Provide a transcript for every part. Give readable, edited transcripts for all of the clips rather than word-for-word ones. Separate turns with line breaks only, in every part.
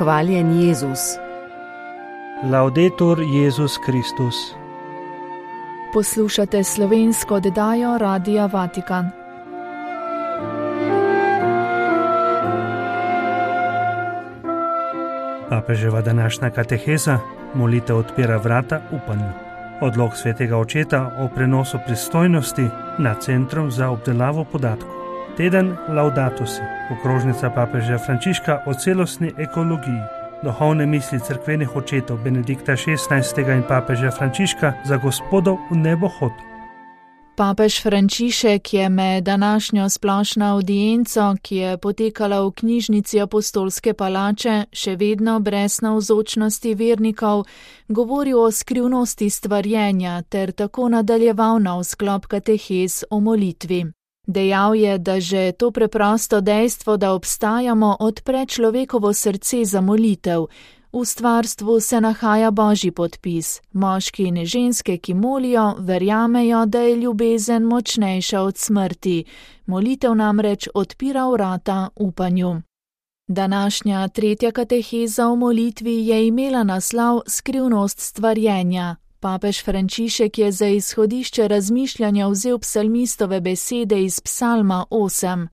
Hvaljen Jezus.
Laudetur Jezus Kristus.
Poslušate slovensko oddajo Radia Vatikan.
Papeževa današnja kateheza, molitev odpira vrata upanju. Odlok svetega očeta o prenosu pristojnosti nad Centrom za obdelavo podatkov. Teden Laudato si, okrožnica papeža Frančiška o celostni ekologiji. Duhovne misli cerkvenih očetov Benedikta XVI. In papeža Frančiška za Gospodov v nebohod.
Papež Frančišek je med današnjo splošno audienco, ki je potekala v knjižnici Apostolske palače, še vedno brez navzočnosti vernikov, govoril o skrivnosti stvarjenja ter tako nadaljeval na sklop katehez o molitvi. Dejal je, da že to preprosto dejstvo, da obstajamo, odpre človekovo srce za molitev. V stvarstvu se nahaja Božji podpis. Moški in ženske, ki molijo, verjamejo, da je ljubezen močnejša od smrti. Molitev namreč odpira vrata upanju. Današnja tretja kateheza o molitvi je imela naslov Skrivnost stvarjenja. Papež Frančišek je za izhodišče razmišljanja vzel psalmistove besede iz psalma 8.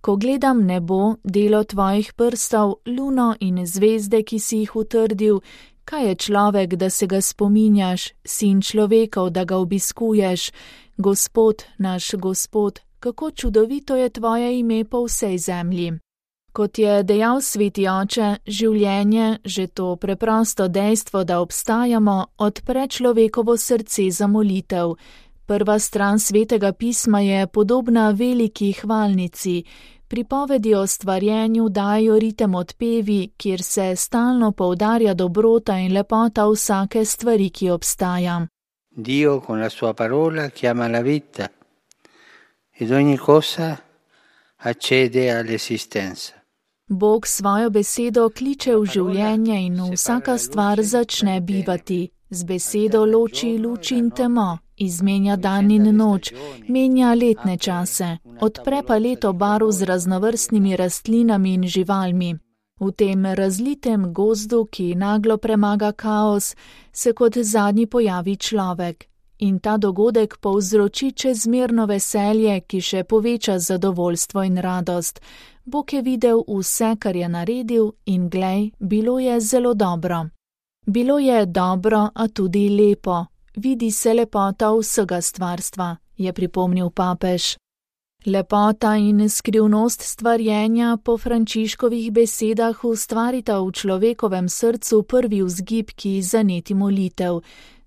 Ko gledam nebo, delo tvojih prstov, luno in zvezde, ki si jih utrdil, kaj je človek, da se ga spominjaš, sin človekov, da ga obiskuješ? Gospod, naš Gospod, kako čudovito je tvoje ime po vsej zemlji. Kot je dejal sveti oče, življenje, že to preprosto dejstvo, da obstajamo, odpre človekovo srce za molitev. Prva stran svetega pisma je podobna veliki hvalnici. Pripovedi o stvarjenju dajo ritem odpevi, kjer se stalno poudarja dobrota in lepota vsake stvari, ki obstaja.
Dio con la sua parola chiama la vita ed ogni cosa accede all'esistenza.
Bog svojo besedo kliče v življenje in vsaka stvar začne bivati. Z besedo loči luč in temo, izmenja dan in noč, menja letne čase, odpre paleto barv z raznovrstnimi rastlinami in živalmi. V tem razlitem gozdu, ki naglo premaga kaos, se kot zadnji pojavi človek. In ta dogodek povzroči čezmerno veselje, ki še poveča zadovoljstvo in radost. Bog je videl vse, kar je naredil, in glej, bilo je zelo dobro. Bilo je dobro, a tudi lepo. Vidi se lepota vsega stvarstva, je pripomnil papež. Lepota in skrivnost stvarjenja po Frančiškovih besedah ustvarita v človekovem srcu prvi vzgib, ki zaneti molitev.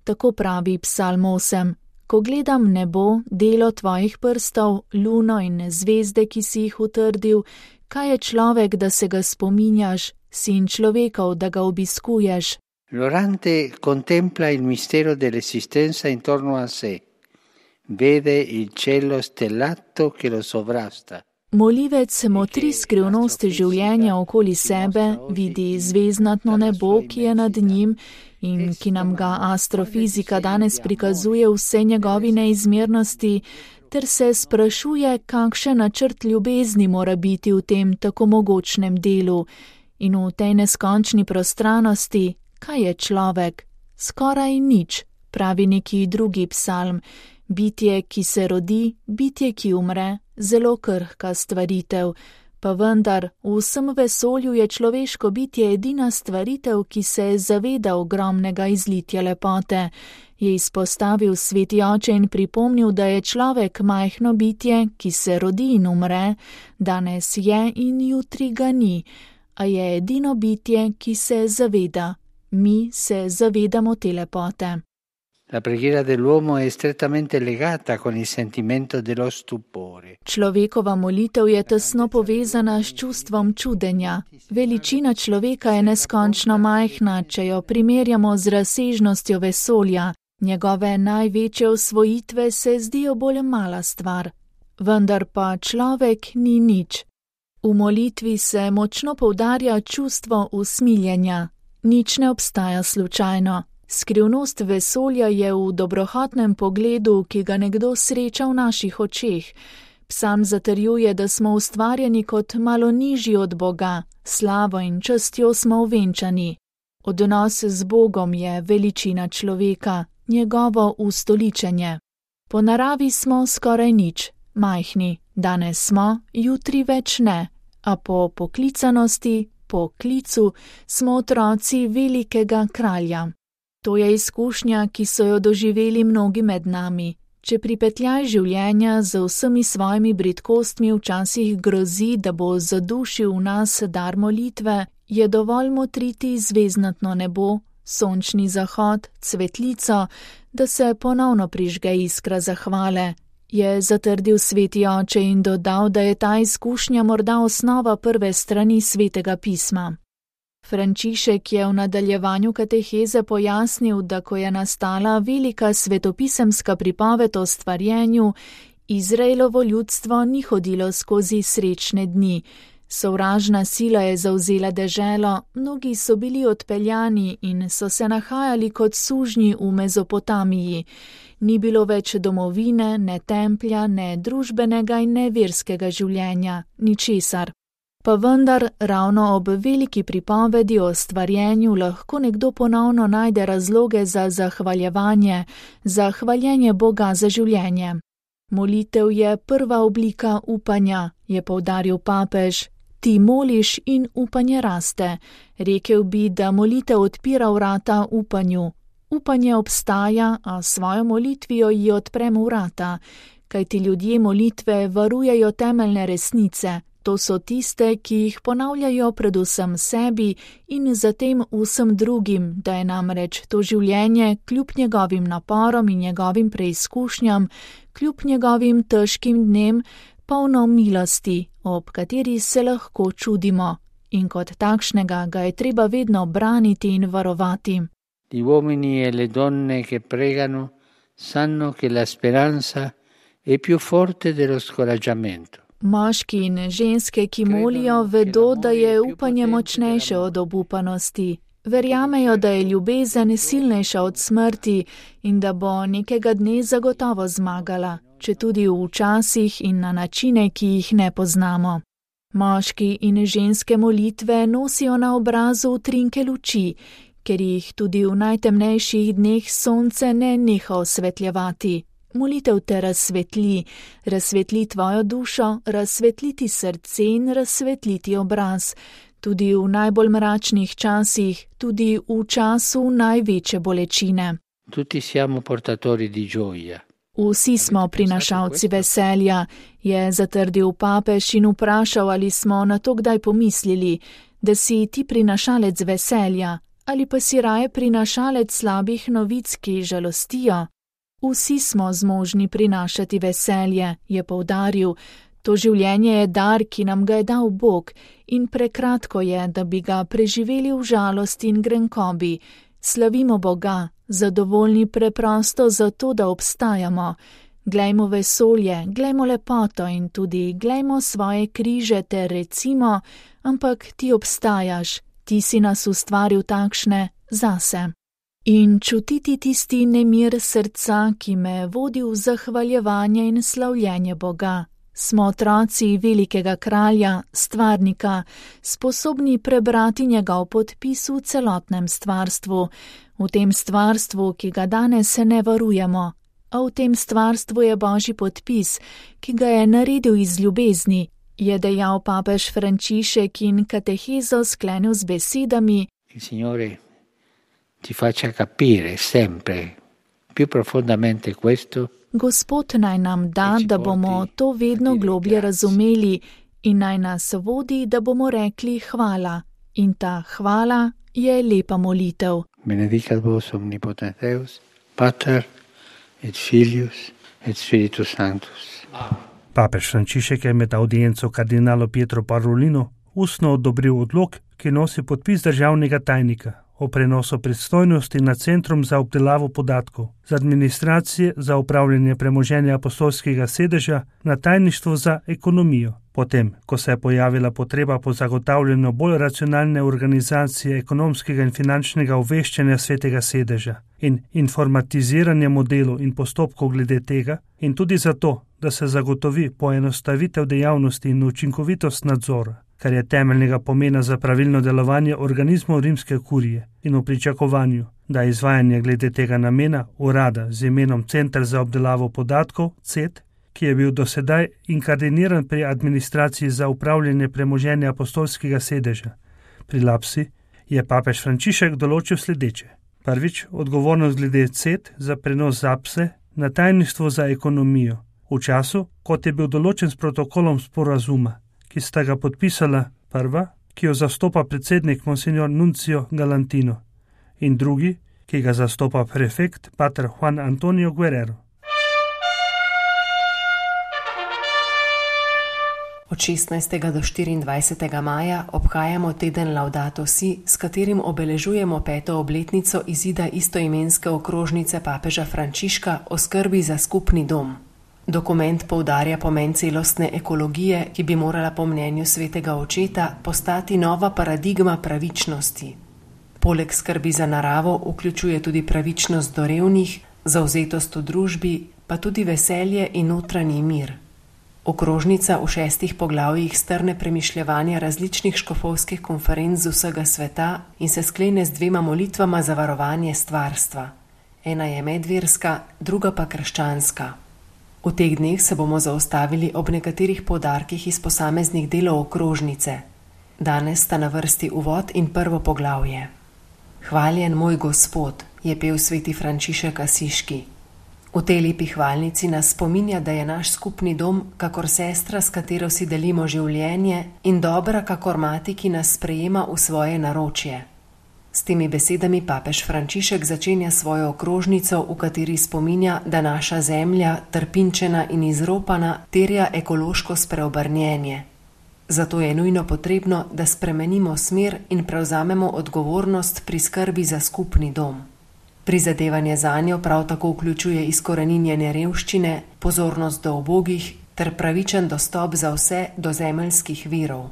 Tako pravi psalm 8. Ko gledam nebo, delo tvojih prstov, luno in zvezde, ki si jih utrdil, kaj je človek, da se ga spominjaš, sin človekov, da ga obiskuješ?
L'orante contempla il mistero dell'esistenza intorno a sé. Vede il cielo stellato che lo sovrasta.
Molivec motri skrivnost življenja okoli sebe, vidi zvezdnatno nebo, ki je nad njim in ki nam ga astrofizika danes prikazuje vse njegovi neizmernosti, ter se sprašuje, kakšen načrt ljubezni mora biti v tem tako mogočnem delu. In v tej neskončni prostranosti, kaj je človek? Skoraj nič, pravi neki drugi psalm. Bitje, ki se rodi, bitje, ki umre, zelo krhka stvaritev. Pa vendar, v vsem vesolju je človeško bitje edina stvaritev, ki se zaveda ogromnega izlitja lepote. Je izpostavil sveti oče in pripomnil, da je človek majhno bitje, ki se rodi in umre, danes je in jutri ga ni, a je edino bitje, ki se zaveda. Mi se zavedamo te lepote.
La preghiera dell'uomo è strettamente legata con il sentimento dello stupore.
Človekova molitev je tesno povezana s čustvom čudenja. Veličina človeka je neskončno majhna, če jo primerjamo z razsežnostjo vesolja. Njegove največje osvojitve se zdijo bolj mala stvar. Vendar pa človek ni nič. V molitvi se močno poudarja čustvo usmiljenja. Nič ne obstaja slučajno. Skrivnost vesolja je v dobrohotnem pogledu, ki ga nekdo sreča v naših očeh. Psalm zatrjuje, da smo ustvarjeni kot malo nižji od Boga, slavo in častjo smo ovenčani. Odnos z Bogom je veličina človeka, njegovo ustoličenje. Po naravi smo skoraj nič, majhni, danes smo, jutri več ne, a po poklicanosti, po klicu smo otroci velikega kralja. To je izkušnja, ki so jo doživeli mnogi med nami. Če pripetljaj življenja z vsemi svojimi bridkostmi včasih grozi, da bo zadušil v nas dar molitve, je dovolj motriti zvezdnatno nebo, sončni zahod, cvetlico, da se ponovno prižge iskra zahvale, je zatrdil sveti oče in dodal, da je ta izkušnja morda osnova prve strani svetega pisma. Frančišek je v nadaljevanju kateheze pojasnil, da ko je nastala velika svetopisemska pripoved o stvarjenju, Izraelovo ljudstvo ni hodilo skozi srečne dni. Sovražna sila je zavzela deželo, mnogi so bili odpeljani in so se nahajali kot sužnji v Mezopotamiji. Ni bilo več domovine, ne templja, ne družbenega in ne verskega življenja, ničesar. Pa vendar ravno ob veliki pripovedi o stvarjenju lahko nekdo ponovno najde razloge za zahvaljevanje, za hvaljenje Boga za življenje. Molitev je prva oblika upanja, je poudaril papež. Ti moliš in upanje raste. Rekel bi, da molitev odpira vrata upanju. Upanje obstaja, a svojo molitvijo ji odpremo vrata, kajti ljudje molitve varujejo temeljne resnice. To so tiste, ki jih ponavljajo predvsem sebi in zatem vsem drugim, da je namreč to življenje kljub njegovim naporom in njegovim preizkušnjam, kljub njegovim težkim dnem, polno milosti, ob kateri se lahko čudimo, in kot takšnega ga je treba vedno braniti in varovati.
Gli uomini e le donne che pregano sanno che la speranza è più forte dello scoraggiamento.
Moški in ženske, ki molijo, vedo, da je upanje močnejše od obupanosti. Verjamejo, da je ljubezen silnejša od smrti in da bo nekega dne zagotovo zmagala, četudi v časih in na načine, ki jih ne poznamo. Moški in ženske molitve nosijo na obrazu utrinke luči, ker jih tudi v najtemnejših dneh sonce ne neha osvetljevati. Molitev te razsvetli tvojo dušo, razsvetliti srce in razsvetliti obraz, tudi v najbolj mračnih časih, tudi v času največje bolečine.
Tutti siamo portatori di gioia.
Vsi smo prinašalci veselja, je zatrdil papež in vprašal, ali smo na to kdaj pomislili, da si ti prinašalec veselja, ali pa si raje prinašalec slabih novic, ki žalostijo. Vsi smo zmožni prinašati veselje, je poudaril. To življenje je dar, ki nam ga je dal Bog, in prekratko je, da bi ga preživeli v žalosti in grenkobi. Slavimo Boga, zadovoljni preprosto zato, da obstajamo. Glejmo vesolje, glejmo lepoto in tudi glejmo svoje križe ter recimo, ampak ti obstajaš, ti si nas ustvaril takšne zase. In čutiti tisti nemir srca, ki me vodi v zahvaljevanje in slavljenje Boga. Smo otroci velikega kralja, stvarnika, sposobni prebrati njegov podpis v celotnem stvarstvu, v tem stvarstvu, ki ga danes ne varujemo, a v tem stvarstvu je Božji podpis, ki ga je naredil iz ljubezni, je dejal papež Frančišek in katehezo sklenil z besedami:
Signore ti faccia capire sempre più profondamente questo.
Gospod naj nam da, da bomo to vedno globlje razumeli in naj nas vodi, da bomo rekli hvala. In ta hvala je lepa molitev.
Benedicat vos omnipotens Deus, Pater et Filius et Spiritus Sanctus.
Papež Frančišek je med audienco kardinalu Pietro Parolinu ustno odobril odlok, ki nosi podpis državnega tajnika o prenosu pristojnosti nad Centrom za obdelavo podatkov z administracije za upravljanje premoženja apostolskega sedeža na tajništvo za ekonomijo, potem, ko se je pojavila potreba po zagotavljanju bolj racionalne organizacije ekonomskega in finančnega obveščanja svetega sedeža in informatiziranja modelov in postopkov glede tega, in tudi zato, da se zagotovi poenostavitev dejavnosti in učinkovitost nadzora. kar je temeljnega pomena za pravilno delovanje organizmov rimske kurije in v pričakovanju, da izvajanje glede tega namena urada z imenom Center za obdelavo podatkov, CET, ki je bil dosedaj inkardiniran pri administraciji za upravljanje premoženja apostolskega sedeža pri Lapsi, je papež Frančišek določil sledeče. Prvič, odgovornost glede CET za prenos ZAPSE na tajništvo za ekonomijo, v času, kot je bil določen s protokolom sporazuma, ki sta ga podpisala prva, ki jo zastopa predsednik Monsignor Nuncio Galantino, in drugi, ki ga zastopa prefekt pater Juan Antonio Guerrero.
Od 16. do 24. maja obhajamo teden Laudato Si, s katerim obeležujemo 5. obletnico izida istoimenske okrožnice papeža Frančiška o skrbi za skupni dom. Dokument poudarja pomen celostne ekologije, ki bi morala po mnenju svetega očeta postati nova paradigma pravičnosti. Poleg skrbi za naravo vključuje tudi pravičnost do revnih, zavzetost v družbi, pa tudi veselje in notranji mir. Okrožnica v 6 poglavjih strne premišljevanja različnih škofovskih konferenc z vsega sveta in se sklene z 2 molitvama za varovanje stvarstva. Ena je medverska, druga pa krščanska. V teh dneh se bomo zaustavili ob nekaterih poudarkih iz posameznih delov okrožnice. Danes sta na vrsti uvod in prvo poglavje. Hvaljen moj Gospod, je pel sveti Frančišek Asiški. V tej lepi hvalnici nas spominja, da je naš skupni dom kakor sestra, s katero si delimo življenje, in dobra kakor mati, ki nas sprejema v svoje naročje. S temi besedami papež Frančišek začenja svojo okrožnico, v kateri spominja, da naša zemlja, trpinčena in izropana, terja ekološko spreobrnjenje. Zato je nujno potrebno, da spremenimo smer in prevzamemo odgovornost pri skrbi za skupni dom. Prizadevanje zanjo prav tako vključuje izkoreninjenje revščine, pozornost do ubogih ter pravičen dostop za vse do zemeljskih virov.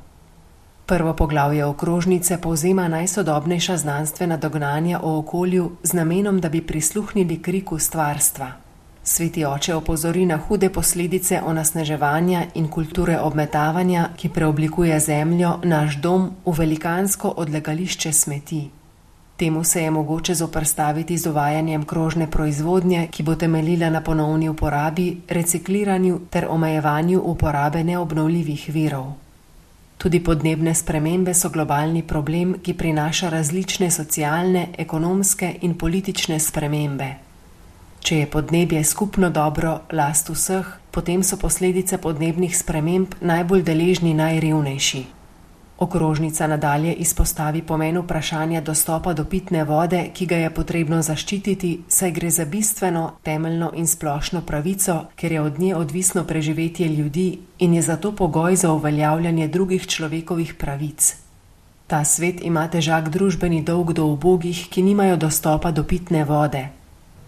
Prvo poglavje okrožnice povzema najsodobnejša znanstvena dognanja o okolju z namenom, da bi prisluhnili kriku stvarstva. Sveti oče opozori na hude posledice onesnaževanja in kulture obmetavanja, ki preoblikuje zemljo, naš dom, v velikansko odlagališče smeti. Temu se je mogoče zoperstaviti z uvajanjem krožne proizvodnje, ki bo temeljila na ponovni uporabi, recikliranju ter omejevanju uporabe neobnovljivih virov. Tudi podnebne spremembe so globalni problem, ki prinaša različne socialne, ekonomske in politične spremembe. Če je podnebje skupno dobro, last vseh, potem so posledice podnebnih sprememb najbolj deležni najrevnejši. Okrožnica nadalje izpostavi pomen vprašanja dostopa do pitne vode, ki ga je potrebno zaščititi, saj gre za bistveno, temeljno in splošno pravico, ker je od nje odvisno preživetje ljudi in je zato pogoj za uveljavljanje drugih človekovih pravic. Ta svet ima težak družbeni dolg do ubogih, ki nimajo dostopa do pitne vode.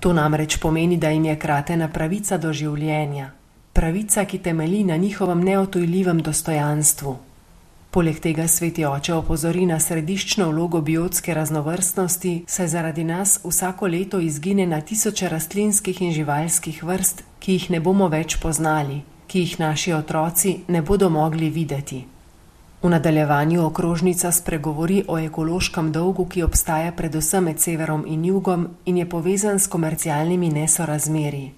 To namreč pomeni, da jim je kratena pravica do življenja. Pravica, ki temelji na njihovem neodtujljivem dostojanstvu. Poleg tega sveti oče opozori na središčno vlogo biotske raznovrstnosti, saj zaradi nas vsako leto izgine na tisoče rastlinskih in živalskih vrst, ki jih ne bomo več poznali, ki jih naši otroci ne bodo mogli videti. V nadaljevanju okrožnica spregovori o ekološkem dolgu, ki obstaja predvsem med severom in jugom in je povezan s komercialnimi nesorazmerji.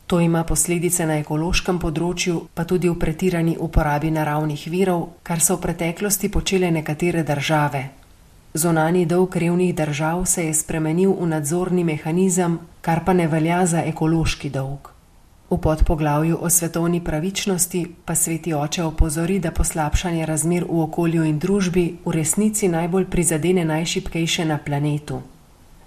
To ima posledice na ekološkem področju, pa tudi v pretirani uporabi naravnih virov, kar so v preteklosti počele nekatere države. Zunanji dolg revnih držav se je spremenil v nadzorni mehanizem, kar pa ne velja za ekološki dolg. V podpoglavju o svetovni pravičnosti pa sveti oče opozori, da poslabšanje razmer v okolju in družbi v resnici najbolj prizadene najšibkejše na planetu.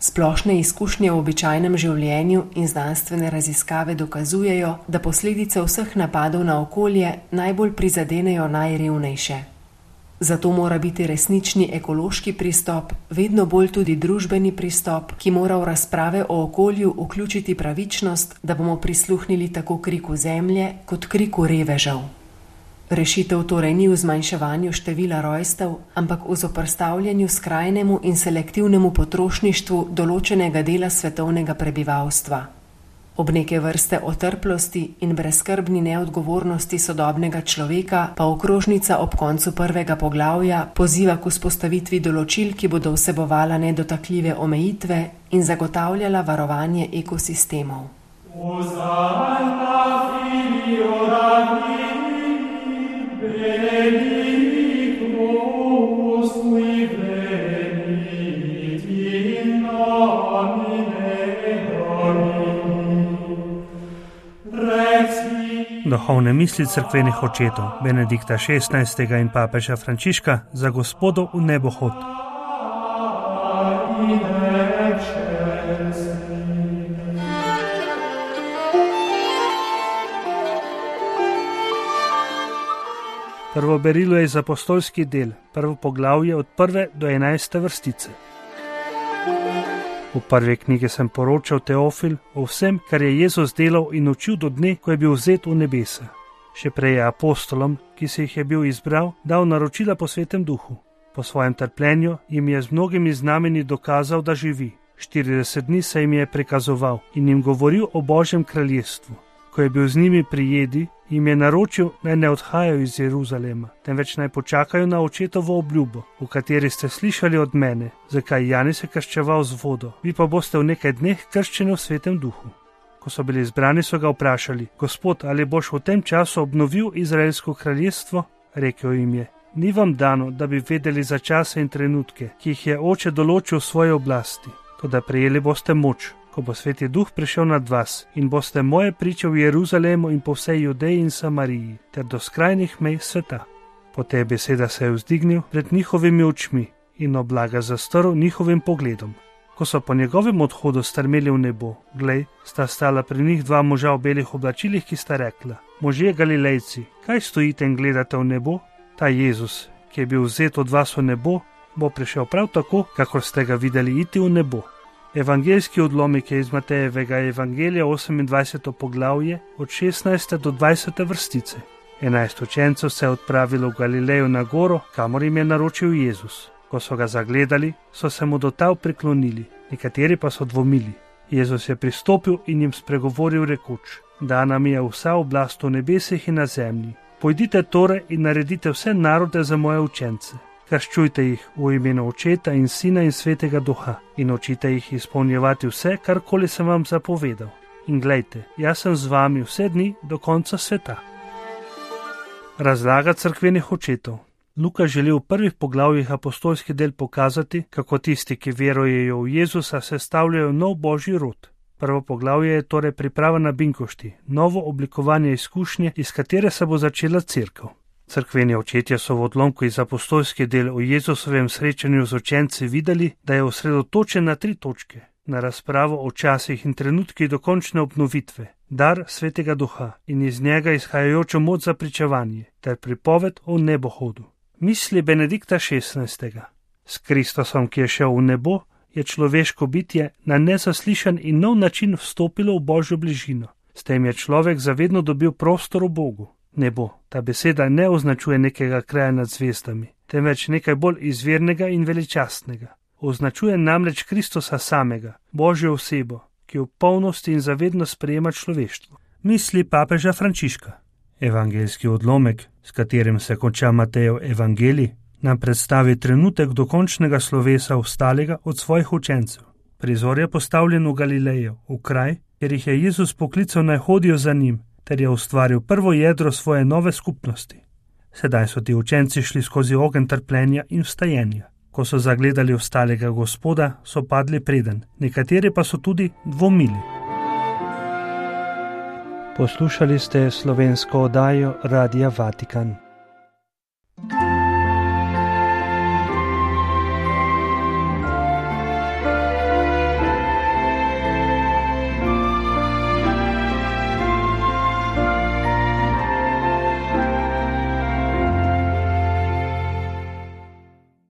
Splošne izkušnje v običajnem življenju in znanstvene raziskave dokazujejo, da posledice vseh napadov na okolje najbolj prizadenejo najrevnejše. Zato mora biti resnični ekološki pristop, vedno bolj tudi družbeni pristop, ki mora v razprave o okolju vključiti pravičnost, da bomo prisluhnili tako kriku zemlje kot kriku revežev. Rešitev torej ni v zmanjševanju števila rojstev, ampak v zoperstavljanju skrajnemu in selektivnemu potrošništvu določenega dela svetovnega prebivalstva. Ob neke vrste otrplosti in brezskrbni neodgovornosti sodobnega človeka pa okrožnica ob koncu prvega poglavja poziva k vzpostavitvi določil, ki bodo vsebovala nedotakljive omejitve in zagotavljala varovanje ekosistemov.
Duhovne misli cerkvenih očetov Benedikta XVI. In papeža Frančiška za Gospodov v nebohod. Prvo berilo je iz apostolski del, prvo poglavje od 1. do 11. vrstice. V prvi knjigi sem poročal Teofil o vsem, kar je Jezus delal in učil do dne, ko je bil vzet v nebesa. Še prej je apostolom, ki se jih je bil izbral, dal naročila po Svetem Duhu. Po svojem trpljenju jim je z mnogimi znameni dokazal, da živi. 40 dni se jim je prikazoval in jim govoril o Božjem kraljestvu. Ko je bil z njimi pri jedi, jim je naročil, naj ne odhajajo iz Jeruzalema, temveč naj počakajo na očetovo obljubo, v kateri ste slišali od mene, zakaj Janez je krščeval z vodo, vi pa boste v nekaj dneh krščeni v Svetem Duhu. Ko so bili izbrani, so ga vprašali: Gospod, ali boš v tem času obnovil Izraelsko kraljestvo? Rekel jim je: ni vam dano, da bi vedeli za čase in trenutke, ki jih je Oče določil v svoji oblasti, toda prejeli boste moč, ko bo Sveti Duh prišel nad vas in boste moje priče v Jeruzalemu in po vsej Judeji in Samariji, ter do skrajnih mej sveta. Po tej beseda se je vzdignil pred njihovimi očmi in oblaga zastrl njihovim pogledom. Ko so po njegovem odhodu strmeli v nebo, glej, sta stala pri njih dva moža v belih oblačilih, ki sta rekla: možje Galilejci, kaj stojite in gledate v nebo? Ta Jezus, ki je bil vzet od vas v nebo, bo prišel prav tako, kakor ste ga videli iti v nebo. Evangeljski odlomek je iz Matejevega evangelija 28. poglavje od 16. do 20. vrstice. 11 učencev se je odpravilo v Galilejo na goro, kamor jim je naročil Jezus. Ko so ga zagledali, so se mu do tal priklonili, nekateri pa so dvomili. Jezus je pristopil in jim spregovoril rekoč: dana mi je vsa oblast v nebesih in na zemlji. Pojdite torej in naredite vse narode za moje učence. Krščujte jih v imenu Očeta in Sina in Svetega Duha in učite jih izpolnjevati vse, karkoli sem vam zapovedal. In glejte, jaz sem z vami vse dni do konca sveta. Razlaga cerkvenih očetov. Luka želi v prvih poglavjih apostolski del pokazati, kako tisti, ki verujejo v Jezusa, sestavljajo nov božji rod. Prvo poglavje je torej priprava na binkošti, novo oblikovanje izkušnje, iz katere se bo začela cerkev. Cerkveni očetje so v odlomku iz apostolskih del o Jezusovem srečanju z učenci videli, da je osredotočen na 3 točke: na razpravo o časih in trenutkih dokončne obnovitve, dar Svetega Duha in iz njega izhajajočo moč za pričevanje, ter pripoved o nebohodu. Misli Benedikta XVI. S Kristusom, ki je šel v nebo, je človeško bitje na nezaslišan in nov način vstopilo v Božjo bližino. S tem je človek zavedno dobil prostor v Bogu. Nebo, ta beseda ne označuje nekega kraja nad zvezdami, temveč nekaj bolj izvirnega in veličastnega. Označuje namreč Kristusa samega, Božjo osebo, ki v polnosti in zavedno sprejema človeštvo. Misli papeža Frančiška. Evangeljski odlomek, s katerim se konča Matejev evangelij, nam predstavi trenutek dokončnega slovesa ostalega od svojih učencev. Prizor je postavljen v Galilejo, v kraj, kjer jih je Jezus poklical naj hodijo za njim, ter je ustvaril prvo jedro svoje nove skupnosti. Sedaj so ti učenci šli skozi ogenj trpljenja in vstajenja. Ko so zagledali ostalega Gospoda, so padli preden, nekateri pa so tudi dvomili. Poslušali ste slovensko oddajo Radia Vatikan.